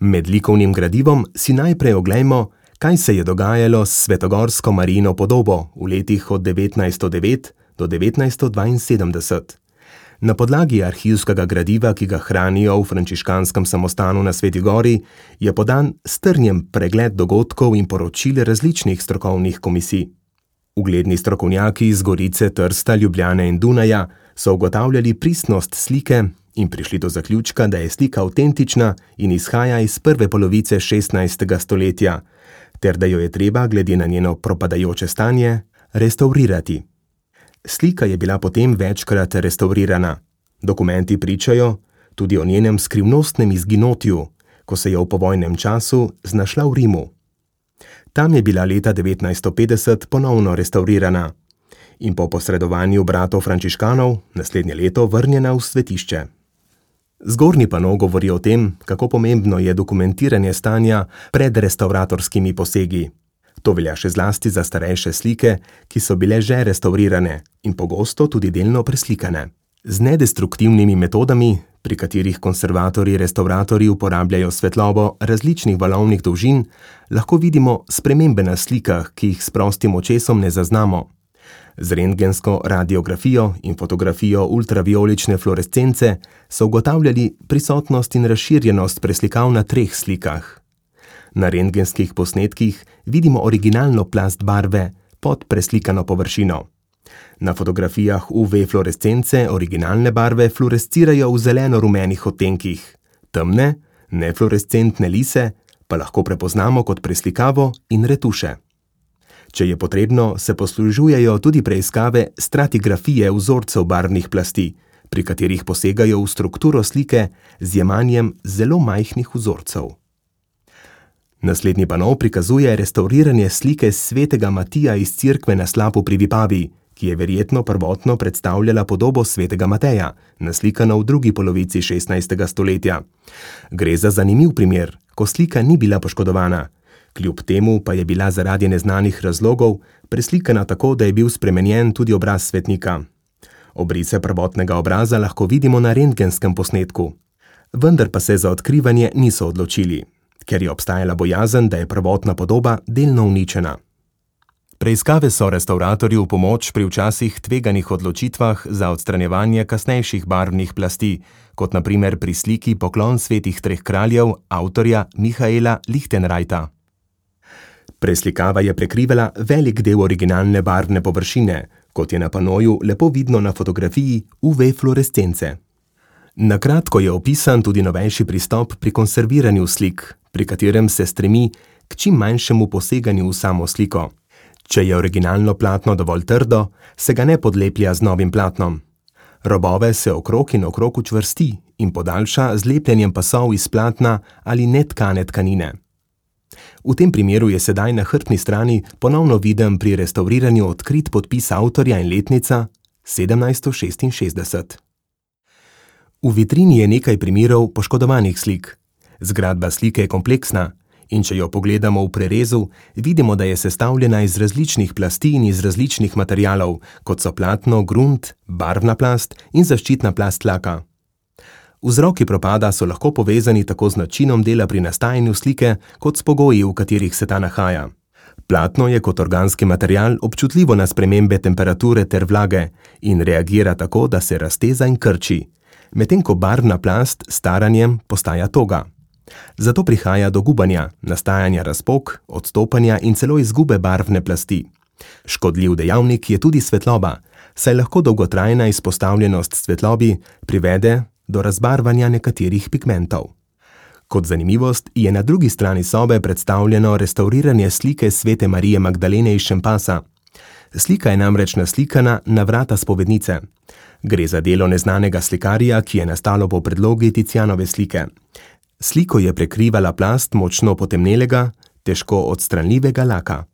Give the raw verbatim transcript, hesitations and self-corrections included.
Med likovnim gradivom si najprej oglejmo, kaj se je dogajalo s svetogorsko Marijino podobo v letih od devetnajststo devet do devetnajststo dvainsedemdeset. Na podlagi arhivskega gradiva, ki ga hranijo v frančiškanskem samostanu na Sveti gori, je podan strnjen pregled dogodkov in poročil različnih strokovnih komisij. Ugledni strokovnjaki iz Gorice, Trsta, Ljubljane in Dunaja so ugotavljali pristnost slike in prišli do zaključka, da je slika avtentična in izhaja iz prve polovice šestnajstega stoletja, ter da jo je treba, glede na njeno propadajoče stanje, restavrirati. Slika je bila potem večkrat restavrirana. Dokumenti pričajo tudi o njenem skrivnostnem izginotju, ko se je v povojnem času znašla v Rimu. Tam je bila leta devetnajststo petdeset ponovno restavrirana in po posredovanju bratov frančiškanov naslednje leto vrnjena v svetišče. Zgornji pano govori o tem, kako pomembno je dokumentiranje stanja pred restavratorskimi posegi. To velja še zlasti za starejše slike, ki so bile že restavrirane in pogosto tudi delno preslikane. Z nedestruktivnimi metodami, pri katerih konservatorji restavratorji uporabljajo svetlobo različnih valovnih dolžin, lahko vidimo spremembe na slikah, ki jih s prostim očesom ne zaznamo. Z rentgensko radiografijo in fotografijo ultravijolične fluorescence so ugotavljali prisotnost in razširjenost preslikav na treh slikah. Na rentgenskih posnetkih vidimo originalno plast barve pod preslikano površino. Na fotografijah U V fluorescence originalne barve fluorescirajo v zeleno-rumenih odtenkih. Temne, nefluorescentne lise pa lahko prepoznamo kot preslikavo in retuše. Če je potrebno, se poslužujejo tudi preiskave stratigrafije vzorcev barvnih plasti, pri katerih posegajo v strukturo slike z jemanjem zelo majhnih vzorcev. Naslednji pano prikazuje restavriranje slike svetega Matija iz cerkve na Slapu pri Vipavi, ki je verjetno prvotno predstavljala podobo svetega Mateja, naslikano v drugi polovici šestnajstega stoletja. Gre za zanimiv primer, ko slika ni bila poškodovana. Kljub temu pa je bila zaradi neznanih razlogov preslikana tako, da je bil spremenjen tudi obraz svetnika. Obrise prvotnega obraza lahko vidimo na rentgenskem posnetku. Vendar pa se za odkrivanje niso odločili, ker je obstajala bojazen, da je prvotna podoba delno uničena. Preiskave so restavratorju v pomoč pri včasih tveganih odločitvah za odstranjevanje kasnejših barvnih plasti, kot na primer pri sliki Poklon svetih treh kraljev avtorja Mihaela Lichtenreita. Preslikava je prekrivala velik del originalne barvne površine, kot je na panoju lepo vidno na fotografiji U V fluorescence. Na kratko je opisan tudi novejši pristop pri konserviranju slik, pri katerem se stremi k čim manjšemu poseganju v samo sliko. Če je originalno platno dovolj trdo, se ga ne podleplja z novim platnom. Robove se okrog in okrog učvrsti in podaljša z lepljenjem pasov iz platna ali netkane tkanine. V tem primeru je sedaj na hrbtni strani ponovno viden pri restavriranju odkrit podpis avtorja in letnica sedemnajststo šestinšestdeset. V vitrini je nekaj primerov poškodovanih slik. Zgradba slike je kompleksna in če jo pogledamo v prerezu, vidimo, da je sestavljena iz različnih plasti in iz različnih materialov, kot so platno, grunt, barvna plast in zaščitna plast laka. Vzroki propada so lahko povezani tako z načinom dela pri nastajanju slike, kot s pogoji, v katerih se ta nahaja. Platno je kot organski material občutljivo na spremembe temperature ter vlage in reagira tako, da se razteza in krči, medtem ko barvna plast s staranjem postaja toga. Zato prihaja do gubanja, nastajanja razpok, odstopanja in celo izgube barvne plasti. Škodljiv dejavnik je tudi svetloba, saj lahko dolgotrajna izpostavljenost svetlobi privede do razbarvanja nekaterih pigmentov. Kot zanimivost je na drugi strani sobe predstavljeno restavriranje slike svete Marije Magdalene iz Šempasa. Slika je namreč naslikana na vrata spovednice. Gre za delo neznanega slikarja, ki je nastalo po predlogi Ticianove slike. Sliko je prekrivala plast močno potemnelega, težko odstranljivega laka.